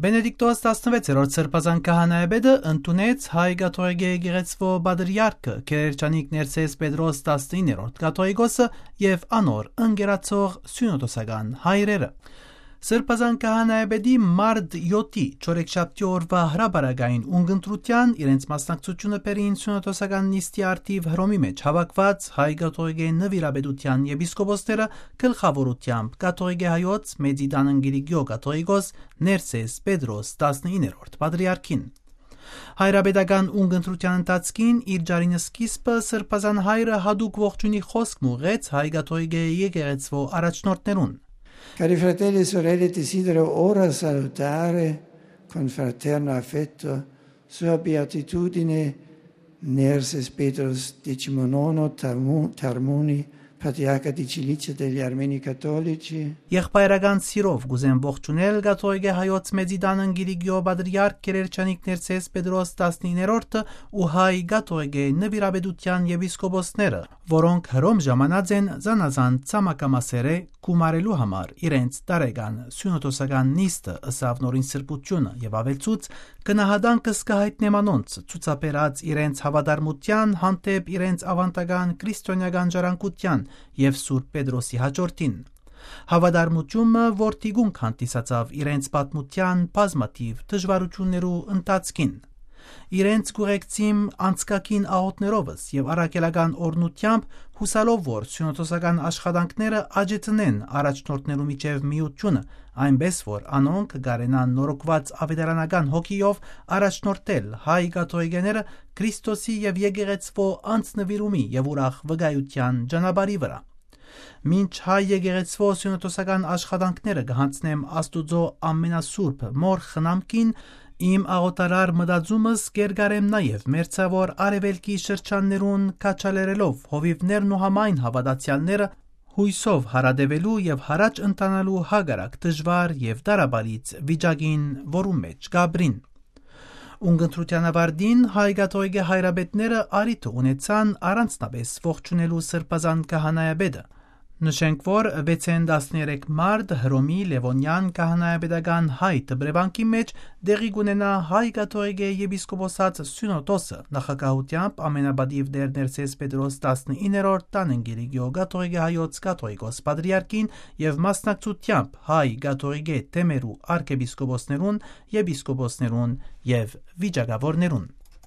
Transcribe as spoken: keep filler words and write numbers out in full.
Բենեդիկտոս տասնվեցերորդ Սրբազան քահանայապետը ընդունեց հայ կաթողիկէ եկեղեցւոյ պատրիարքը Գերերջանիկ Ներսէս Պետրոս տասնիններորդ կաթողիկոսը եւ անոր ընկերացող սիւնոդոսական հայրերը։ Սրբազան քահանայապետի մարտ յոթի չորեքշաբթի օրուայ հրապարակային ունգընտրութեան իրենց մասնակցութիւնը բերին սիւնոդոսական նիստի առթիւ Հռոմի մէջ հաւաքուած հայ կաթողիկէ նուիրապետութեան եպիսկոպոսները գլխաւորութեամբ կաթողիկէ հայոց Մեծի Տան Ընկիրիկիո կաթողիկոս Ներսէս Պետրոս տասնիններորդ պատրիարքին։ Հայրապետական ունգընտրութեան ընթացքին իր ճառին սկիզբը Սրբազան հայրը յատուկ ողջունի խօսք մուղեց հայ կաթողիկէ եկեղեցւոյ առաջնորդներուն։ Cari fratelli e sorelle, desidero ora salutare con fraterno affetto Sua Beatitudine Nerses Petros Decimonono Tarmu-, Tarmuni, patriarca di Cilicia degli Armeni Cattolici։ Եղբայրական սիրով կ'ուզեմ ողջունել կաթողիկէ հայոց Մեծի Տան Ընկիրիկիո պատրիարք Գերերջանիկ Ներսէս Պետրոս տասնիններորդը ու հայ կաթողիկէ նուիրապետութեան եպիսկոպոսները, որոնք Հռոմ ժամանած են զանազան ցամաքամասերէ գումարելու համար իրենց տարեկան սիւնոդոսական նիստը, ըսաւ Նորին Սրբութիւնը եւ աւելցուց. «Գնահատանքս կը յայտնեմ անոնց՝ ցուցաբերած իրենց հաւատարմութեան հանդէպ իրենց աւանդական քրիստոնէական ժառանգութեան եւ Սուրբ Պետրոսի յաջորդին։ Հաւատարմութիւնը, որ թիկունք հանդիսացաւ իրենց պատմութեան բազմաթիւ դժուարութիւններու ընթացքին։ Իրենց կ'ուղեկցիմ անցկագին աղօթքներովս եւ առաքելական օրհնութեամբ, յուսալով որ սիւնոդոսական աշխատանքները աճեցնեն առաջնորդներու միջեւ միութիւնը, այնպէս որ անոնք կարենան նորոգուած աւետարանական հոգիով առաջնորդել հայ կաթողիկեները Քրիստոսի եւ եկեղեցւոյ անձնուիրումի եւ ուրախ վկայութեան ճանապարհի վրայ։ Մինչ հայ եկեղեցւոյ սիւնոդոսական աշխատանքները կը յանձնեմ Աստուծոյ ամենասուրբ Մօր խնամքին, իմ աղօթարար մտածումս կ'երկարեմ նաեւ մերձաւոր արեւելքի շրջաններուն քաջալերելով հովիւներն ու համայն հաւատացեալները յոյսով յարատեւելու եւ յառաջ ընթանալու հակառակ դժուար եւ տառապալից վիճակին, որուն մէջ կ'ապրին»։ Ունգընտրութեան աւարտին հայ կաթողիկէ հայրապետները առիթը ունեցան առանձնապէս ողջունելու Սրբազան քահանայապետը։ Նշենք, որ վեցէն տասներեք մարտ Հռոմի Լեւոնեան քահանայապետական հայ դպրեվանքի մէջ տեղի կ'ունենայ հայ կաթողիկէ եպիսկոպոսաց սիւնոդոսը, նախագահութեամբ ամենապատիւ Տէր Ներսէս Պետրոս տասնիններորդ Տան Ընկիրիկիո կաթողիկէ հայոց կաթողիկոս պատրիարքին եւ մասնակցութեամբ հայ կաթողիկէ թեմերու արքեպիսկոպոսներուն, եպիսկոպոսներուն եւ վիճակաւորներուն։